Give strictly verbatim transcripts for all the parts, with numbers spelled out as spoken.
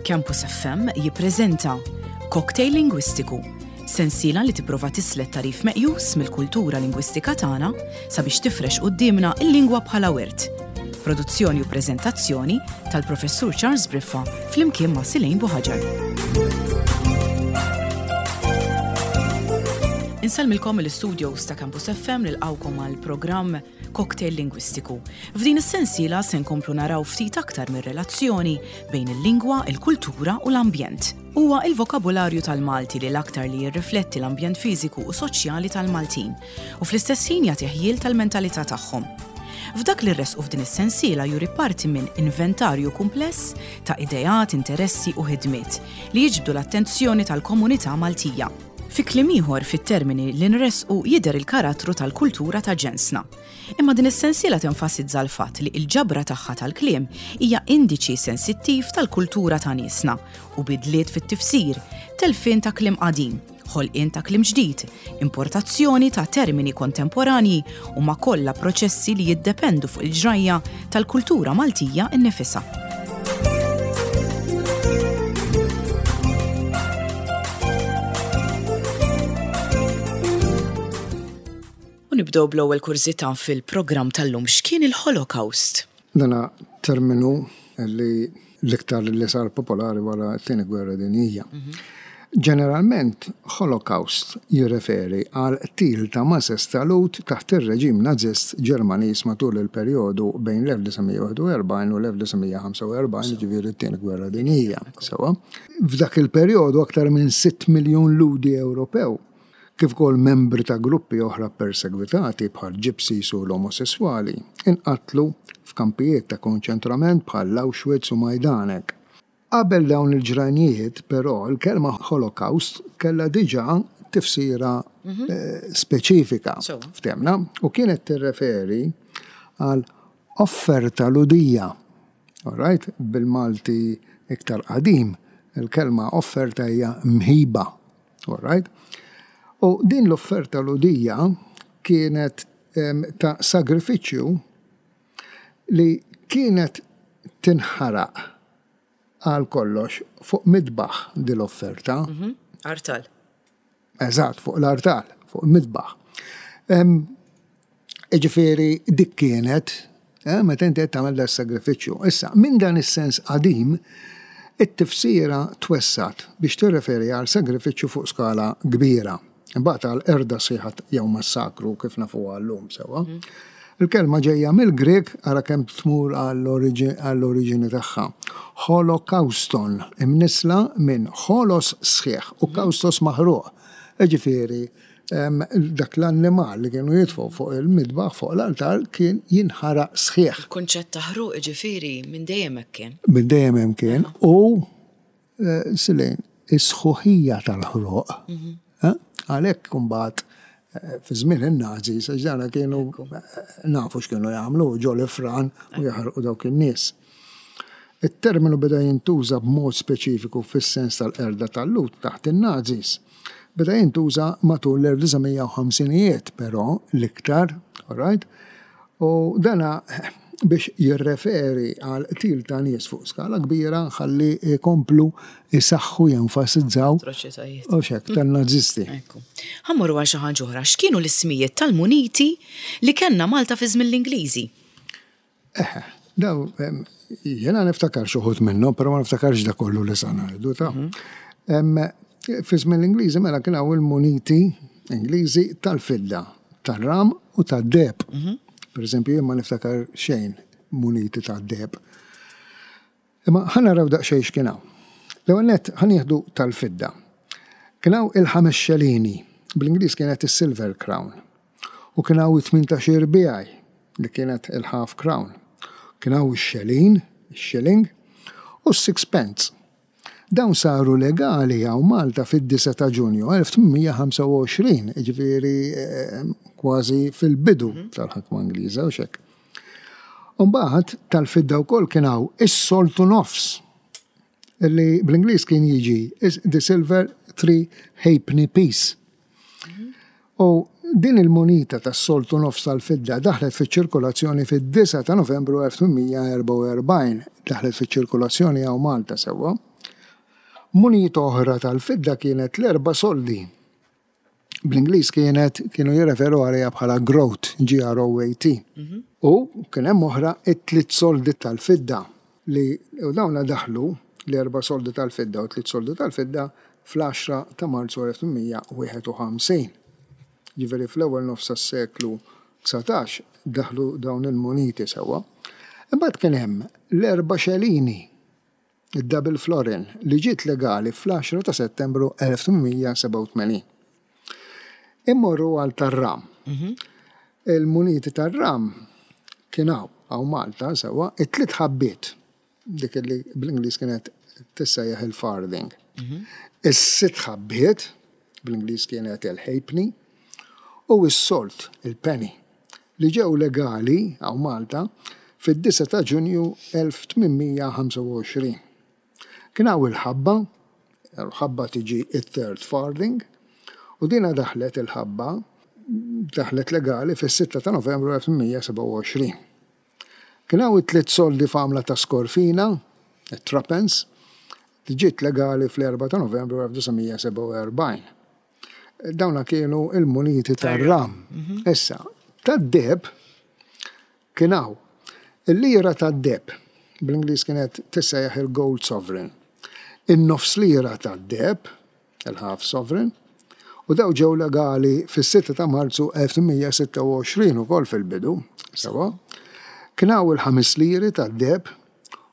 Campus F M jippreżenta Cocktail Lingwistiku, sensiela li tipprova tislet tagħrif meqjus mill-kultura lingwistika tagħna sabiex tifrex quddiemna il-lingwa bħala wirt. Produzzjoni u preżentazzjoni tal-Professur Charles Briffa flimkien ma' Silejn Buħaġar. Insellmilkom mill-studios ta' Campus F M, nilqgħukom għal programm Cocktail Lingwistiku. F'din is-sensiela se nkomplu naraw ftit aktar mir-relazzjoni bejn il-lingwa, il-kultura u l-ambjent. Huwa il-vokabularju tal-Malti li l-aktar li jirrifletti l-ambjent fiżiku u soċjali tal-Maltin u fl-istess ħin jagħti ħjiel tal-mentalità tagħhom. F'dak li rresqu f'din is-sensiela juri parti minn inventarju kumpless ta' ideat, interessi u ħidmiet li jiġbdu l-attenzjoni tal-komunità Maltija. Fi kliem ieħor, fit-termini li nresqu jidher il-karattru tal-kultura ta' ġensna. Imma din is-sensiela tenfasizza l-fatt li l-ġabra tagħha tal-kliem hija indiċi sensittiv tal-kultura ta' niesna u bidliet fit-tifsir, telfien ta' kliem qadim, ħolqien ta' kliem ġdid, importazzjoni ta' termini kontemporanji huma kollha proċessi li jiddependu fuq il-ġrajja tal-kultura Maltija innifisha. U nibdew bl-ewwel kurżità fil-programm tal-lum: x'kien il-Holocaust? Dana terminu li l-iktar li sar popolari wara t-Tieni Gwerra Dinjija. Ġeneralment, Holocaust jirreferi għal qtil ta' mases ta' Lhud taħt ir-reġim Nazist Ġermaniż matul il-perjodu bejn l-elf disa' mija u wieħed u erbgħin u l-elf disa' mija u ħamsa u erbgħin, ġifieri t-Tieni Gwerra Dinjija. Sewa. F'dak il-perjodu aktar minn sitt miljun Lhudi Ewropew, kif ukoll membri ta' gruppi oħra persegwitati bħal Gypsies u l-omosessuali, inqatlu f'kampijiet ta' konċentrament bħal Auschwitz u Majdanek. Qabel dawn il-ġrajnijiet, però, il-kelma Holocaust kellha diġà tifsira eh, speċifika Sewa. ftemna u kienet tirreferi għal offerta Lhudija. All right? Bil-Malti iktar qadim, il-kelma offerta hija mħiba. All right? U din l-offerta Lhudija kienet em, ta' sagrifiċċju li kienet tinħaraq għal kollox fuq midbaħ din l-offerta. Artal. Eżatt, fuq l-artal, fuq midbaħ. Ġifieri, dik kienet, eh, meta inti qed tagħmel da sagrifiċċju. Issa, minn dan is-sens qadim, it-tifsira twessat biex tirreferi għal sagrifiċċju fuq skala kbira. Imbagħad għal qerda sħiħa jew massakru kif nafuha llum sewwa. Il-kelma ġejja mill-Grek, ara kemm tmur għall-oriġini tagħha. Holokauston, imnisla minn holos sħiħ u kaustos maħruq. Ġifieri, em, dak l-annimal li kienu jitfgħu fuq il-midbaħ, fuq l-altar, kien jinħaraq sħiħ. Il-kunċett ta' ħruq ġifieri minn dejjem hekk kien. Minn dejjem hemm kien u eh, silejn is-sħuħija tal-ħruq. Eh, Għalhekk kumbat eh, fi żmien in-Nazi, ġara kienu eh, nafu x'kienu jagħmlu ġol-ifran u jaħarqu dawk in-nies. Il-terminu beda jintuża b'mod speċifiku fis-sens tal-qerda tal-Lhud taħt in-Nazis. Beda jintuża matul l-elf disa' mija u ħamsinijiet, però l-iktar, all right? U dana biex jirreferi għal qtil ta' nies fuq skala kbira ħalli jkomplu jisaxħu, jenfasizzaw Atroċitajiet. u xek tan-Nazisti. Ekku. Ħa mmorru għal xi ħaġa oħra. X'kienu l-ismijiet tal-muniti li kellna Malta fi żmien l-Ingliżi? Eħe, daw, em, jena niftakar xi wħud minnhom, però ma niftakarx da kollu li sa ngħidu ta'. Em, Fi żmien l-Ingliżi mela kien hawn il-muniti Ingliżi tal-fidda, tar-ram u tad-deheb. Per eżempju, jien ma niftakar xejn muniti tad-deheb. Imma ħa naraw daqsxejn x'kien hawn. L-ewwel nett ħa nieħdu tal-fidda. Kien hawn il-ħames xelini, bl-Ingliż kienet is-Silver Crown. U kien hawn it-tmintax irbiegħi li kienet il-Half Crown. Kien hawn ix-xelin, ix-shilling, u s-sixpence. Dawn saru legali hawn Malta fid-disgħa ta' Ġunju elf tmien mija u ħamsa u għoxrin, ġifieri eh, kważi fil-bidu tal-ħakma Ingliża u xek. Umbagħad tal-fidda wkoll kien hawn is-soltu nofs, li bl-Ingliż kien jiġi is the silver three halfpenny piece. U din il-munita tas-soltu nofs tal-fidda daħlet fiċ-ċirkolazzjoni fid-disgħa ta' Novembru elf tmien mija u erbgħa u erbgħin, daħlet fiċ-ċirkolazzjoni hawn Malta sewwa. Munita oħra tal-fidda kienet l-erba' soldi. Bl-Ingliż kienet kienu jirreferu għaliha bħala groat, G R O A T. U kien hemm oħra, it-tliet soldi tal-fidda, li u dawna daħlu, l-erba' soldi tal-fidda u tliet soldi tal-fidda, fl-għaxra ta' Marzu elf tmien mija u wieħed u ħamsin. Ġifieri fl-ewwel nofs tas-seklu dsatax daħlu dawn il-muniti, sewwa. Imbagħad kien hemm l-erba' xelini, id-double florin, li ġiet legali fl-għaxra ta' Settembru elf tmien mija sebgħa u tmenin. Immorru għal tar-ram. Il-muniti tar-ram kien hawn, hawn Malta, sewwa, it-tliet ħabbiet, dik li bl-Ingliż kienet tissejjaħ il-farthing. Is-sitt ħabbiet, bl-Ingliż kienet il-halfpenny, u s-sold, il-penny, li ġew legali hawn Malta fid-disgħa ta' Ġunju elf tmien mija ħamsa u għoxrin. Kien hawn il-ħabba, il-ħabba tiġi it-third farthing, u dina daħlet, il-ħabba, daħlet legali fis-sitta ta' Novembru elf tmien mija sebgħa u għoxrin. Kien hawn it-tliet soldi f'għamla ta' skorfina, it-threepence, li ġiet legali fl-erbgħa ta' Novembru elf disa' mija sebgħa u erbgħin. Dawna kienu il-muniti tar-ram. Issa, tad-deheb kien hawn il-lira tad-deheb, bl-Ingliż kienet tissejjaħ il-gold sovereign. In-nofs lira tad-deheb, il-half sovereign, u daw ġew legali fis-sitta ta' Marzu elf tmien mija sitta u għoxrin ukoll fil-bidu, sewwa. Kien hawn il-ħames liri tad-deheb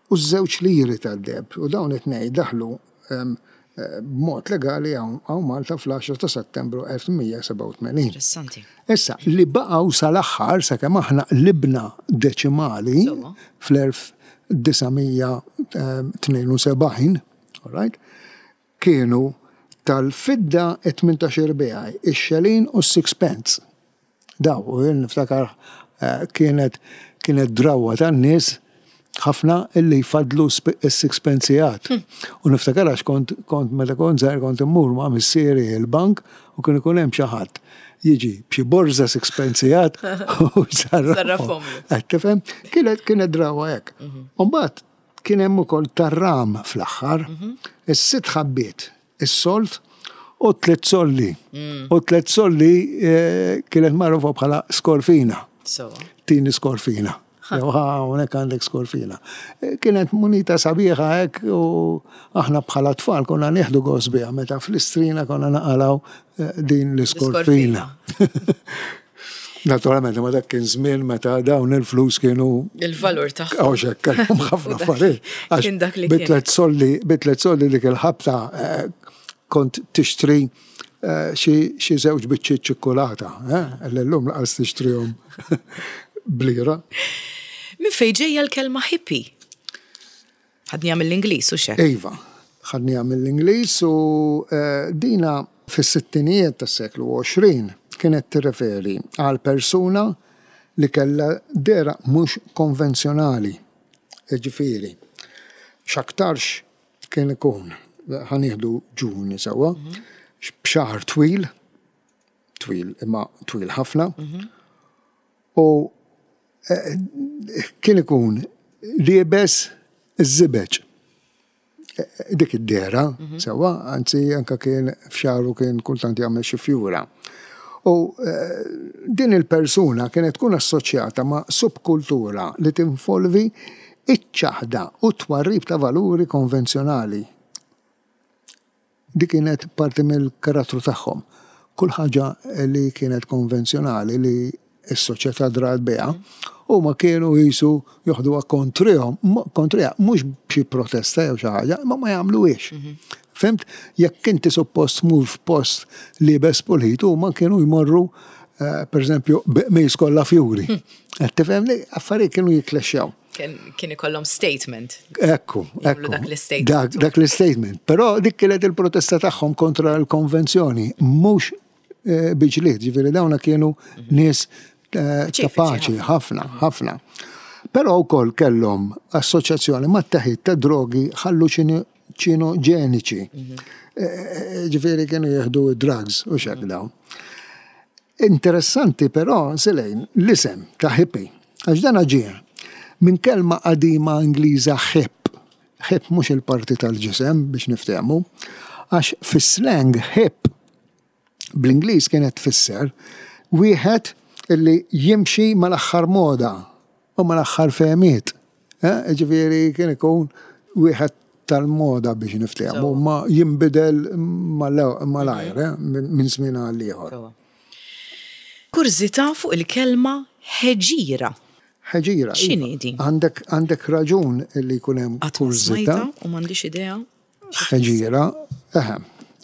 u ż-żewġ liri tad-deheb, u dawn it-tnejn daħlu em, eh, b'mod legali hawn hawn Malta fl-għaxra ta' Settembru elf tmien mija sebgħa u tmenin. Interessanti. Issa, li baqgħu sal-aħħar sakemm aħna qlibna deċimali Sewwa. fl-elf disa' mija tnejn u sebgħin, all right, kienu tal-fidda it-tmintax-il biegħi, ix-xelin u s-sixpence. Daw, u jien niftakar eh, kienet kienet drawa tan-nies ħafna illi jfadlu s-sixpencejat. U niftakar għax kont, kont meta kont żgħir kont immur ma' missieri il-bank u kien ikun hemm xi ħadd jiġi b'xi borża sixpencejat u Sarrafhom. sarrafhom. Qed tifhem? Kienet kienet drawa hekk. U mbagħad kien hemm ukoll tar-ram fl-aħħar, is-sitt ħabbiet, is-sold u tliet soldi. U tliet soldi eh, kienet magħrufa bħala skorfina. Sewwa. Tini skorfina. Jew ħa hawnhekk għandek skorfina. Eh, Kienet munita sabiħa hekk u aħna bħala tfal konna nieħdu gost biha meta fl-Istrina konna naqalgħu eh, din l-iskorfina. Naturalment, ma dak kien żmien meta dawn il-flus kienu Il-valur tagħhom. Għawxek, kellhom ħafna affarijiet. Għax Kien dak li kien. Bi tliet soldi, bi tliet soldi dik il-ħabta eh, kont tixtri eh, xi xi żewġ biċċiet ċikkulata, eh, l-lum lanqas tixtrihom b'lira. Min fejn ġejja l-kelma hippie? Ħadnieha mill-Ingliż u xek. Iva, ħadnieha mill-Ingliż u eh, dina fis-sittinijiet tas-seklu għoxrin kienet tirreferi għal persuna li kella dehra mhux konvenzjonali. Ġifieri, x'aktarx kien ikun, ħa nieħdu ġuvni, sewwa, b'xahar twil, twil imma twil ħafna, u eh, kien ikun liebes iż-żibeġ. Dik id-dehra, sewwa, anzi anka kien f'xagħru kien kultant jagħmel xi fjura. U eh, din il-persuna kienet tkun assoċjata ma' subkultura li tinvolvi iċ-ċaħda u twarrib ta' valuri konvenzjonali. Dik kienet parti mill-karattru tagħhom. Kull ħaġa li kienet konvenzjonali li s-soċjetà drat biha, u ma kienu jisu joħduha kontrihom, kontriha, mhux b'xi protesta jew xi ħaġa, ma ma jagħmluhiex. Fhimt? Jekk inti suppost tmur f'post liebes pulit, huma kienu jmorru eh, per eżempju, b'qmis kollha fjuri. Qed tifhem li affarijiet kienu jiklexxjaw. Kien kien ikollhom statement. Ekku, Jagħmlu ekku. dak l-statement. Dak, dak l-statement. Però dik kienet il-protesta tagħhom kontra l-konvenzjoni, mhux eh, bi ġlied, ġifieri dawna kienu nies eh, ta' Paċifiċi. paċi, ħafna, ħafna. Però wkoll kellhom assoċjazzjoni ma' teħid ta' drogi ħalluċinoġeniċi. Eh, Ġifieri kienu jieħdu drugs u xek dawn. Interessanti però, Selejn, l-isem ta' hippie, għax dan ġie minn kelma qadima Ingliża hip, Hip mhux il-parti tal-ġisem biex niftehmu, għax fis-slang hip bl-Ingliż kienet tfisser wieħed illi jimxi mal-aħħar moda u mal-aħħar fehmiet. Eh, ġifieri kien ikun wieħed tal-moda biex niftehmu, ma jinbidel malajr, eh, minn żmien għal ieħor. Kurżità fuq il-kelma ħeġira. Ħeġira. X'inhi din? Għandek għandek raġun li jkun hemm kurżità. U m'għandix idea. Ħeġira, eħe.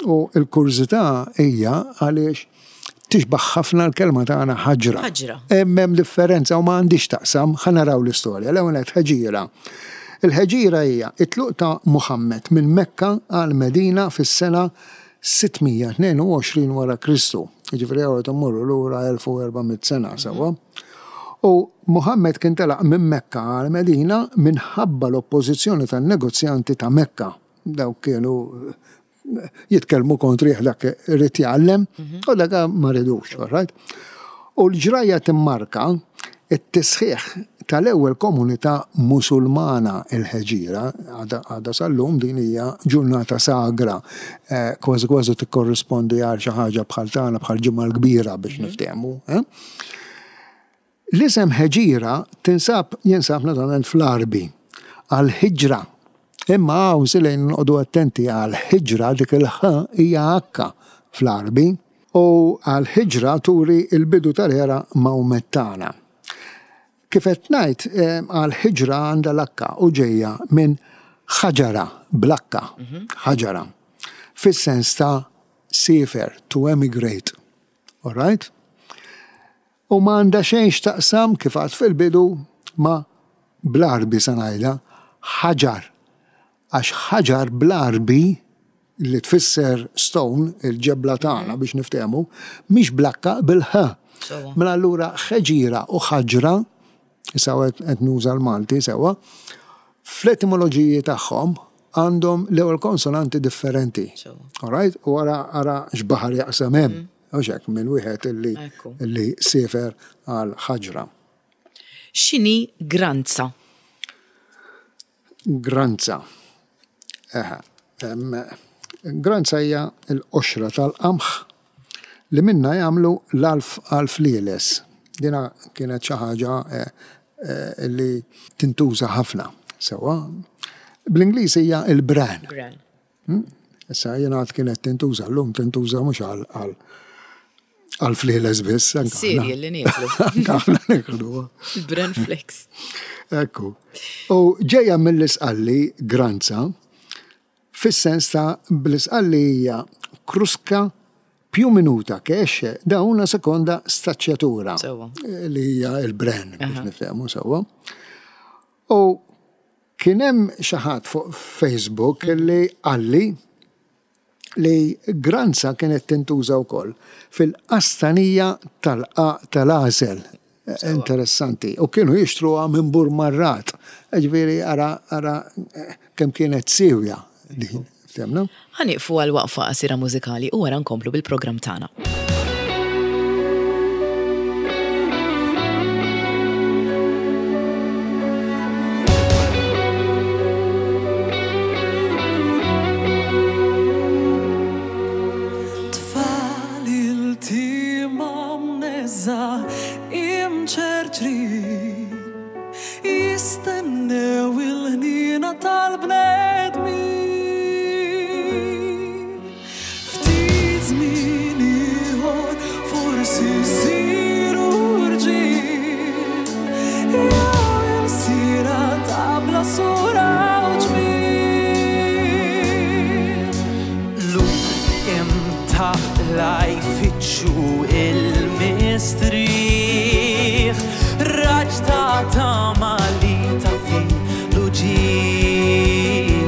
U l-kurżità hija għaliex tixbaħ ħafna l-kelma tagħna ħaġra. Ħaġra. Hemm hemm differenza u ma għandix taqsam, ħa naraw l-istorja. L-ewwel nett ħeġira. Il-ħeġira hija it-tluq ta' Muhammad minn Mekka għal Medina fis-sena sitt mija tnejn u għoxrin wara Kristu. Jiġifieri hawn immorru lura elf u erba' mitt sena sewwa. U Muhammad kien telaq minn Mekka għal Medina minħabba l-oppożizzjoni tan-negozjanti ta' Mekka. Dawk kienu jitkellmu kontrih, dak irid jgħallem u dak ma ridux, right? U l-ġrajja timmarka it-tisħiħ tal-ewwel komunità Musulmana. Il-ħeġira għadha sal-lum din hija ġurnata sagra, eh, kważi kważi tikkorrispondi għal xi ħaġa bħal tagħna, bħal Ġimgħa l-Kbira biex niftehmu. Eh? L-isem ħeġira tinsab jinsab naturalment fl-Arbi għal-ħiġra. Imma hawn silejn noqogħdu attenti, għal-ħiġra dik il-ħ hija akka fl-Arbi u għal-ħiġra turi il-bidu tal-era Mawmettana. Kif qed ngħid, eh, għal-ħiġra għandha l-akka u ġejja minn ħaġara bl-akka, ħaġara. Fis-sens ta' siefer, to emigrate. All right? U ma għandha xejn x'taqsam, kif għad fil-bidu, ma bl-Arbi sa ngħidha ħaġar. Għax ħaġar bl-Arbi li tfisser stone, il-ġebla tagħna biex niftehmu, mhix bl-akka, bil-ħ. Sewwa. Mela allura ħeġira u ħaġra, issa qed nuża l-Malti sewwa, fl-etimoloġiji tagħhom għandhom l-ewwel konsonanti differenti. Sewwa. All right? U ara ara x'baħar jaqsam hemm. U hekk minn wieħed illi Ekku. illi siefer għal ħaġra. X'inhi granza? Granza. Eħe. Em, Granza hija l-qoxra tal-qamħ li minna jagħmlu l-alf għal-flieles. Dina kienet xi ħaġa eh, eh, li tintuża ħafna. Sewwa. Bl-Ingliż hija il-bran. Bran. Hmm? Issa jiena għad kienet tintuża, llum tintuża mhux għal għal għal flieles biss. Anke aħna- Cereal li nieklu. Anke aħna niekluha. Bran flakes. Ekku. U ġejja mill-Isqalli granza, fis-sens ta' bl-Isqalli hija crusca più minuta che esce da una seconda stacciatura. Sewwa. Li hija il-bran biex niftehmu sewwa. U kien hemm xi ħadd fuq Facebook li qalli li granza kienet tintuża wkoll fil-qastanija tal-qaq tal-għażel. Interessanti. U kienu jixtruha minn Burmarrat. Ġifieri ara ara eh, kemm kienet siewja din. Ftemna? Ħa nieqfu għal waqfa qasira mużikali u wara nkomplu bil-programm tagħna. Tfal iltima mneżżgħa, imċerċrin, jistennew il-ħniena tal-bnedmin. Ftit żmien ieħor forsi jsiru rġiel jew ilsira ta' bla sura u ġmiel. Qlub imtaqqla jfittxu il-mistrieħ, raġġ ta' tama li taffi l-uġigħ.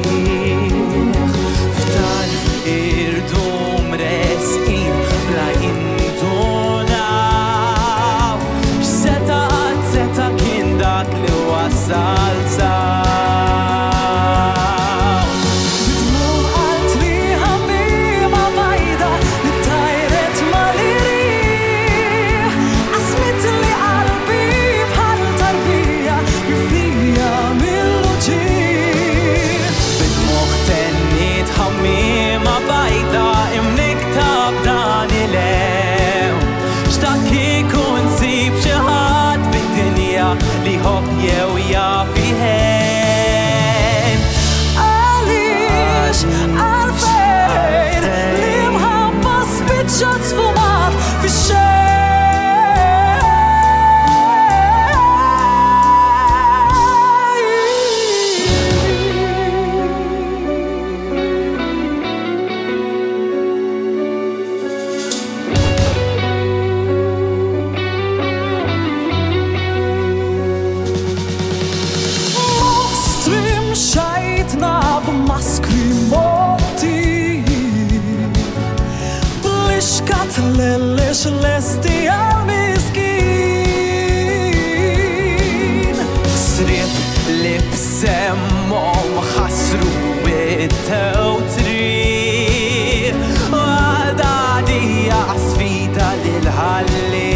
Maskri motti Blixkat lellex lesti għal-miskin. Srib li b'semmhom ħasru it-tewtri. Għadadija sfida lil-ħalli.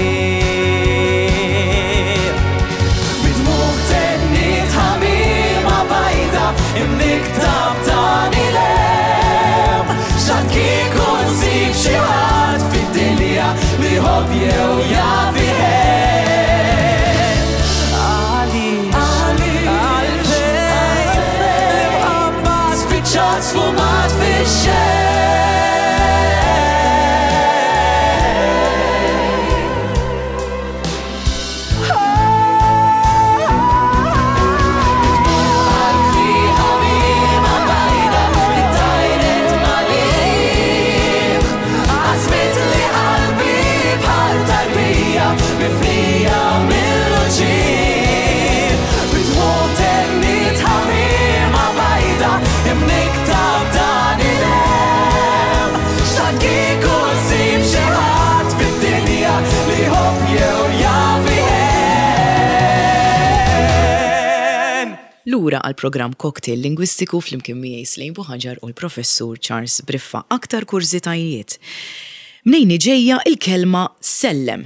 Bidmuħ tennit ħamima bajda imniktab dan il-hemm. X'għad kieku nsib xi ħadd fid-dinja li jħobb jew jaf iħebb. Għaliex, għalfejn, l-imħabba spiċċat sfumat fix-xejn. Qalbi ħamima bajda li tajret malih. Għazmit li qalbi bħal tarbija mifnija mill-uġigħ. Bidmuħ tennit ħamima bajda imniktab dan il-hemm. X'għad kieku nsib xi ħadd fid-dinja li jħobb jew jaf iħenn. Lura għal programm Cocktail Lingwistiku flimkien miegħi Slejn Buħaġar u l-professur Charles Briffa. Aktar kurżitajiet. Mnejn ġejja il-kelma "sellem"?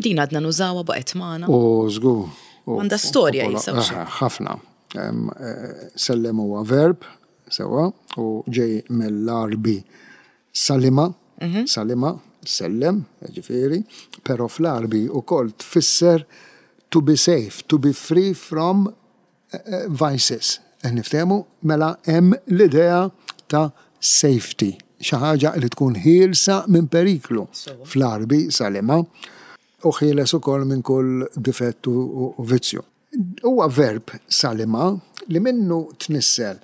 Din għadna nużawha, baqgħet magħna. U żgur. u- Għandha storja u- jisa, u xi? Aha, ħafna. Em, eh, Sellem huwa verb, sewa, u ġej mill-Arbi salima, Mhm. salima, sellem, ġifieri, pero fl-Arbi ukoll tfisser to be safe, to be free from eh, eh, vices. Eh, Niftehmu, mela hemm l-idea ta' safety, xi ħaġa li tkun ħielsa minn periklu. Fl-Arbi salima u ħieles ukoll minn kull difett u u vizzju. Huwa verb salima li minnu tnissel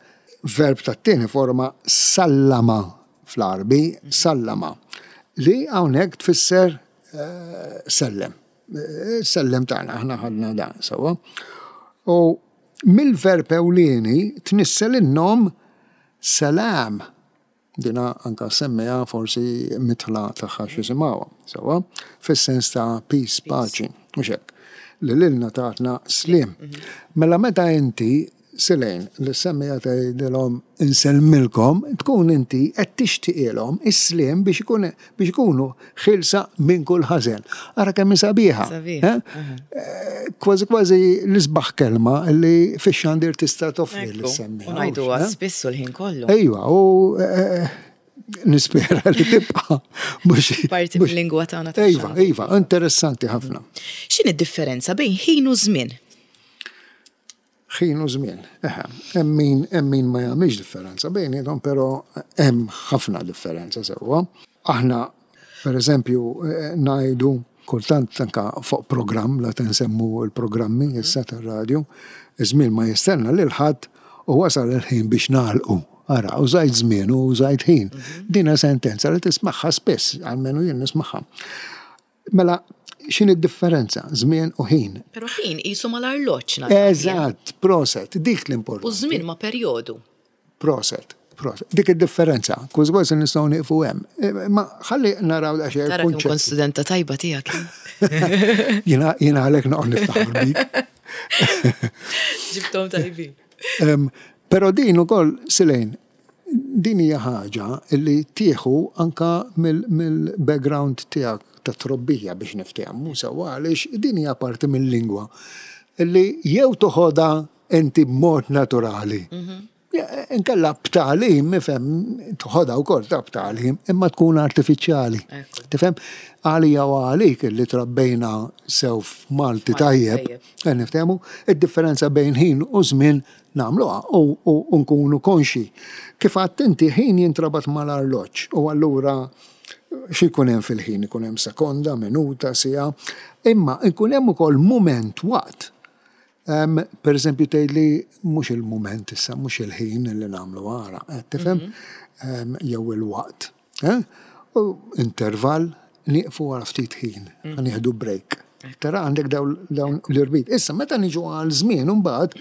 verb tat-tieni forma sallama fl-Arbi, sallama, li hawnhekk tfisser eh, sellem. Eh, Sellem tagħna, aħna ħadna dan sewwa. U mill-verb ewlieni tnissel in-nom salam. Dina anka semmija forsi mitħla tagħha x'isimgħuha, sewwa, fis-sens ta' peace, paċi, mhux hekk. Li lilna tatna slim. Mela meta inti Silejn li semmija tgħidilhom "insellmilkom", tkun inti qed tixtieqilhom is-slim biex ikun biex ikunu ħilsa minn kull ħażen. Ara kemm hi sabiħa. Sabiħa. Eh? Eh, Kważi kważi l-isbaħ kelma li fix-xandir tista' toffri Ekku, lis-semmiegħa. U ngħiduha eh? spissu l-ħin kollu. Ejwa, u eh, nispera li tibqa' mhux Parti mhux- mill-lingwa tagħna Ejwa, tax-xandir. ejwa, interessanti ħafna. X'inhi d-differenza bejn ħin u żmien? Ħin u żmien. Eħe, hemm min hemm min ma jagħmilx differenza bejniethom, però hemm ħafna differenza sewwa. Aħna, per eżempju, eh, ngħidu kultant anka fuq programm, la tinsemmu l-programmi issa tar-radju, iż-żmien ma jistenna lil ħadd u wasal il-ħin biex nagħlqu. Ara, użajt żmien u użajt ħin. Dina sentenza li tismagħha spiss, almenu jien nismagħha. Mela, x'inhi d-differenza? Żmien u ħin. Però ħin qisu mal-arloġġ nara. Eżatt, proset, dik U l-importanti. żmien ma' perjodu. Proset, proset. Dik id-differenza, kważi kważi nistgħu nieqfu hemm. Eh, Ma ħalli naraw daqsxejn Tara kemm kont il-kunċett. studenta tajba tiegħek. Jiena jiena għalhekk noqgħod niftaħar bik. Ġibtom tajbin. Em, Però din ukoll, Silejn, din hija ħaġa li tieħu anka mill-background tiegħek ta' trobbija biex niftehmu sewwa, għaliex din hija parti mill-lingwa li jew toħodha inti b'mod naturali. Ja, inkella b'tagħlim, ifhem, toħodha wkoll ta' b'tagħlim, imma tkun artifiċjali. Ekku. Tifhem, għalija u għalik li trabbejna sew f'Malti tajjeb, tajjeb. eh, niftehmu, id-differenza bejn ħin u żmien nagħmluha u, u, u nkunu konxi. Kif għadt inti, ħin jintrabat mal-arloġġ u allura xi jkun hemm fil-ħin, ikun hemm sekonda, minuta, siegħa, imma ikun hemm ukoll mument, waqt. Um, per eżempju, tgħidli mhux il-mument issa, mhux il-ħin li nagħmlu għara, eh, tifhem? Um, jew il-waqt. Eh? U intervall, nieqfu għal ftit ħin, mm. nieħdu break. Tara għandek dawn l-irbit. Issa, meta niġu għal żmien imbagħad,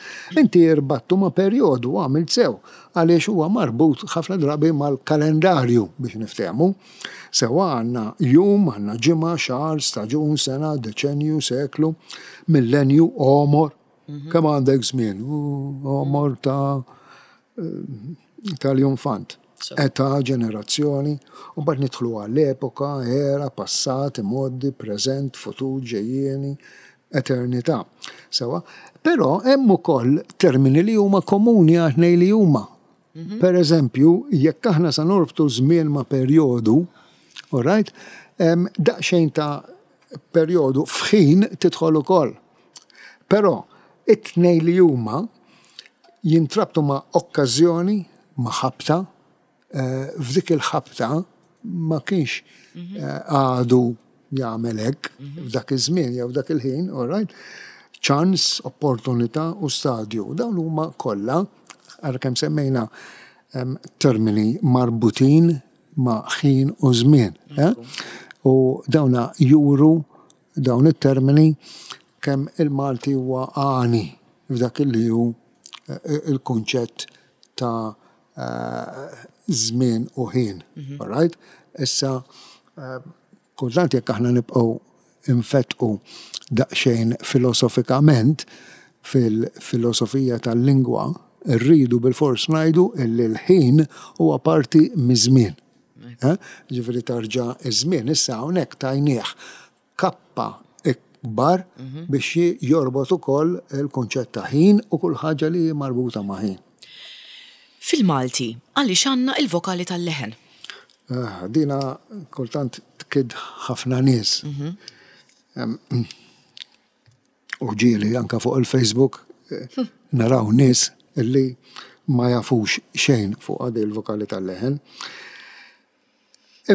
inti irbattu ma' perjodu, għamilt sew, għaliex huwa marbut ħafna drabi mal-kalendarju biex niftehmu. Sewa għandna jum, għandna ġimgħa, xahar, staġun, sena, deċenju, seklu, millenju, għomor. Kemm għandek żmien? Għomor ta' tal-infant. Età, ġenerazzjoni, u mbagħad nidħlu għall-epoka, era, passat, modi, preżent, futur, ġejjieni, eternità. Sewa, però hemm ukoll termini li huma komuni għat-tnejn li huma. Per eżempju, jekk aħna sa norbtu żmien ma' perjodu, all right, daqsxejn ta' perjodu f'ħin tidħol ukoll. Però it-tnejn li huma jintrabtu ma' okkażjoni, ma' ħabta, f'dik il-ħabta ma kienx għadu jagħmel hekk f'dak iż-żmien jew f'dak il-ħin, all right? Ċans, opportunità u stadju. Dawn huma kollha, ara kemm semmejna termini marbutin ma' ħin u żmien. U dawna juru dawn it-termini kemm il-Malti huwa għani f'dak li hu il-kunċett ta' żmien u ħin. All right? Issa, kultant jekk aħna nibqgħu infetqu daqsxejn filosofikament fil-filosofija tal-lingwa, rridu bil-fors ngħidu illi l-ħin huwa parti miż-żmien. Ġifieri tarġa' iż-żmien issa hawnhekk tajnieh kappa ikbar biex jorbot ukoll il-kunċett ta' ħin u kull ħaġa li hi marbuta ma' ħin. Fil-Malti, għaliex għandna il-vokali tal-leħen? Ah, dina kultant tkid ħafna nies. U ġieli anka fuq il-Facebook naraw nies illi ma jafux xejn fuq għadi il-vokali tal-leħen.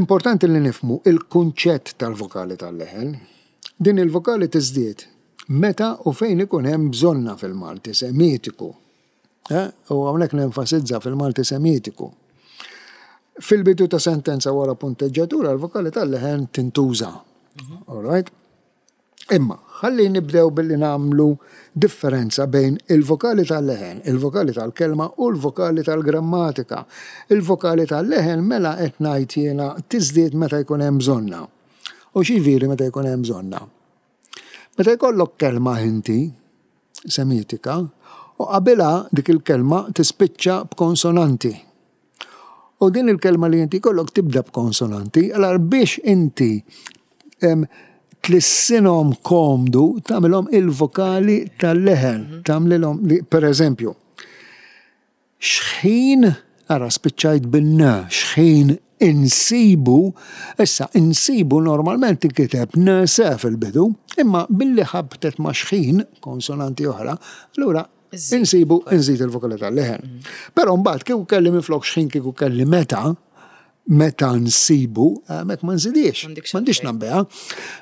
Importanti li nifmu il-kunċett tal-vokali tal-leħen. Din il-vokali tiżdied meta u fejn ikun hemm bżonna fil-Malti semitiku. U hawnhekk nenfasizza fil-Malti semitiku. Fil-bidu ta' sentenza wara punteġġatura l-vokali tal-leħen tintuża. All right? Imma, ħalli nibdew billi nagħmlu differenza bejn il-vokali tal-leħen, il-vokali tal-kelma u l-vokali tal-grammatika. Il-vokali tal-leħen mela qed ngħid jiena tiżdied meta jkun hemm bżonna. U x'jiġifieri meta jkun hemm bżonna? Meta jkollok kelma inti semitika, u qabilha dik il-kelma tispiċċa b'konsonanti. U din il-kelma li inti jkollok tibda b'konsonanti, allora biex inti tlissinhom komdu, tagħmilhom il-vokali tal-leħen, tagħmlilhom li, per eżempju, xħin, ara spiċċajt bin-n, xħin insibu, issa insibu normalment tinkiteb n se fil-bidu, imma billi ħabtet ma' xħin, konsonanti oħra, allura insibu nżid il-vokali tal-leħen. Però mbagħad kieku kelli minflok xħin kieku kelli meta, meta nsibu, mek ma nżidiex, m'għandix nagħmbiha.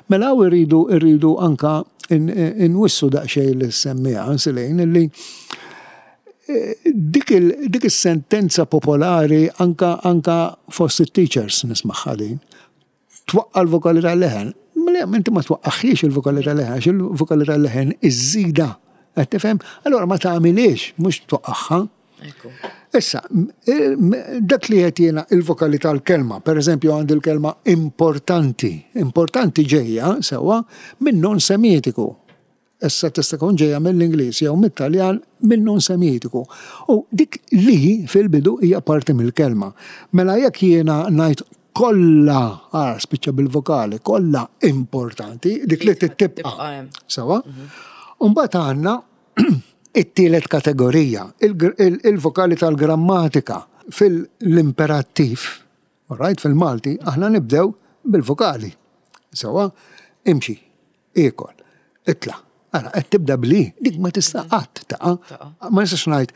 Mela hawn irridu irridu anka inwissu daqsxejn li semmija Nsilejn illi dik is-sentenza popolari anka anka fost it-teachers nismagħha din. Twaqqa' l-vokali tal-leħen. Mela inti ma twaqqaħiex il-vokali tal-leħen, għax il-vokali tal-leħen iżżida. Qed tifhem? Allora ma tagħmilix, mhux twaqqaħha. Issa, dak li qed jiena il-vokali tal-kelma, per eżempju għandi l-kelma importanti. Importanti ġejja sewwa minn non semitiku. Issa tista' tkun ġejja mill-Ingliż jew mit-Taljan minn non semitiku. U dik li fil-bidu hija parti mill-kelma. Mela jekk jiena ngħid kollha, ara spiċċa bil-vokali, kollha importanti, dik li tibqa'. Sewwa? U mbagħad għandna it-tielet kategorija, il-vokali tal-grammatika fil-imperattiv, all right, fil-Malti, aħna nibdew bil-vokali. Sewwa, imxi, ikol, itla'. Ara, qed tibda bli, dik ma tista' qatt taqa'. Ma nistax ngħid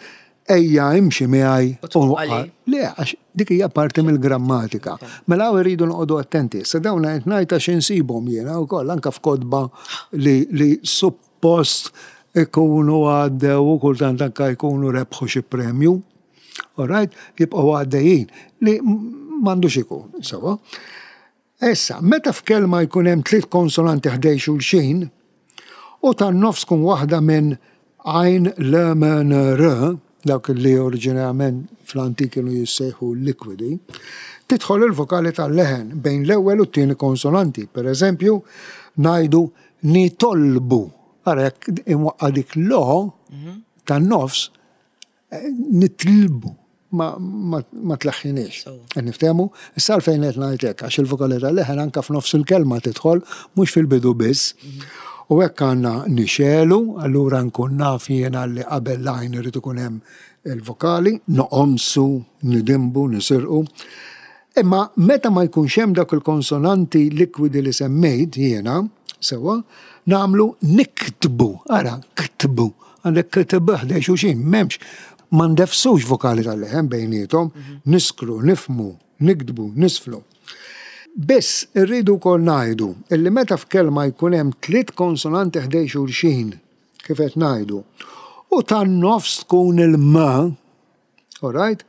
ejja imxi miegħi u waqqa'. Le, għax dik hija parti mill-grammatika. Mela hawn irridu noqogħdu attenti. Sa dawn qed ngħid għax insibhom jiena wkoll anke f'kotba li, li suppost ikunu għaddew u kultant anke jkunu rebħu xi premju. All right, jibqgħu għaddejjin li m'għandux ikun, sewwa. Issa, meta f'kelma jkun hemm tliet konsonanti ħdejn xulxin, u tan-nofs tkun waħda minn għajn, l, m, n, r, dawk li oriġinarjament fl-antik kienu jissejħu likwidi, tidħol il-vokali tal-leħen bejn l-ewwel u t-tieni konsonanti. Per eżempju, ngħidu nitolbu. Ara jekk imwaqqa dik lo tan-nofs, eh, nitlbu ma, ma, ma tlaħħiniex. So. Niftehmu, issa għalfejn qed ngħid hekk, għax il-vokali tal-leħen anka f'nofs il-kelma tidħol, mhux fil-bidu biss. U hekk għandna nixegħlu, allura nkun naf jiena li qabel l-għajn irid ikun hemm il-vokali, noqomsu, nidimbu, nisirqu. Imma meta ma jkunx hemm dak il-konsonanti likwidi li semmejt jiena, sewwa, nagħmlu niktbu, ara, ktbu, għandek ktbu ħdejn xulxin, m'hemmx, ma ndefsux vokali tal-leħen bejniethom, niskru, nifmu, niktbu, nisflu. Biss irridu wkoll ngħidu illi meta f'kelma jkun hemm tliet konsonanti ħdejn xulxin, kif qed ngħidu, u tan-nofs tkun il-m, alright?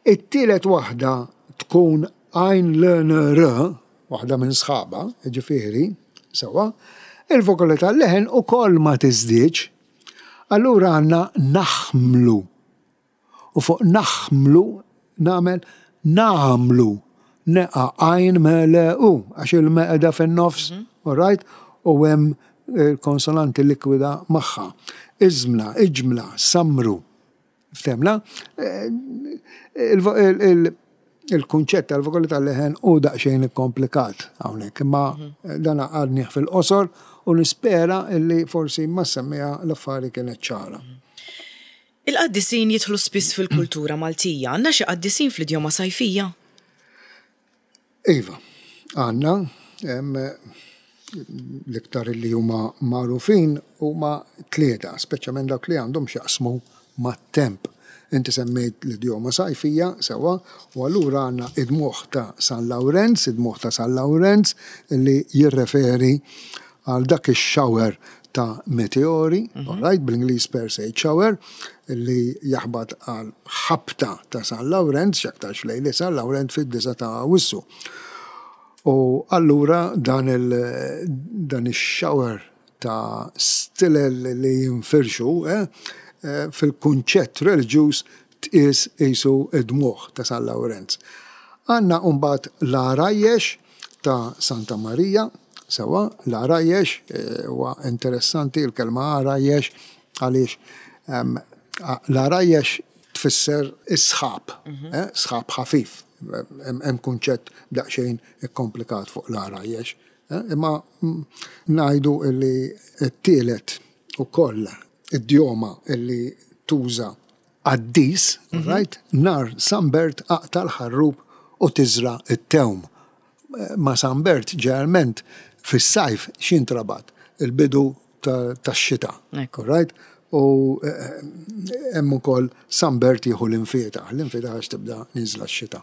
It-tielet waħda tkun għajn l n r, waħda minn sħaba, ġifieri, sewwa, il-vokali tal-leħen ukoll ma tiżdiedx. Allura għandna naħmlu. U fuq naħmlu nagħmel nagħmlu. Neqa għajn m l u, għax il-m qiegħda fin-nofs, alright? U hemm il-konsonanti likwida magħha. Iżmla, iġmla, samru. Ftehmna? Il-kunċett tal-vokali tal-leħen u daqsxejn komplikat hawnhekk, imma dan għadnih fil-qosor u nispera illi forsi ma semmija l-affari kienet ċara. Il-qaddisin jidħlu spiss fil-kultura Maltija. Għandna xi qaddisin fl-idjoma sajfija? Iva, għandna l-iktar li huma magħrufin huma tlieta, speċjalment dawk li għandhom x'jaqsmu mat-temp. Inti semmejt l-idjoma sajfija, sewwa, u allura għandna id-dmugħ ta' San Lawrenz, id-dmugħ ta' San Lawrenz li jirreferi għal dak ix-shower ta' meteori, mm right, bl-Ingliż Perseid shower, li jaħbat għal ħabta ta' San Lawrenz, x'aktarx lejli San Lawrenz fid-disa ta' Awwissu. U allura dan il dan ix-shower ta' stilel li jinfirxu eh, eh, fil-kunċett reliġjuż tqies qisu id-dmugħ ta' San Lawrenz. Għandna mbagħad l-għarajjex ta' Santa Marija, sewwa, l-għarajjex eh, huwa interessanti l-kelma għarajjex għaliex l-għarajjex tfisser is-sħab, eh, sħab ħafif. Hemm kunċett daqsxejn ikkomplikat fuq l-għarajjex. Imma ngħidu li t-tielet ukoll idjoma illi tuża qaddis, right? Nar San Bert aqta' l-ħarrub u tiżra it-tewm. Ma San Bert ġeneralment fis-sajf x'intrabat il-bidu tax-xita. Right? U hemm ukoll San Bert jieħu l-imfietaħ, l-imfietaħ għax tibda niżla x-xita.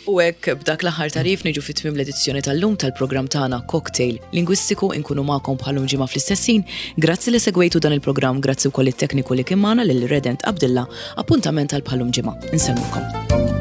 U hekk b'dak l-aħħar tagħrif niġu fi tmiem l-edizzjoni tal-lum tal-programm tagħna Cocktail Lingwistiku. Inkunu magħkom bħal-lum ġimgħa fl-istess ħin. Grazzi li segwejtu dan il-programm, grazzi wkoll it-tekniku li kien magħna lil Redent Abdilla. Appuntament għal bħal-lum ġimgħa. Insellmulkom.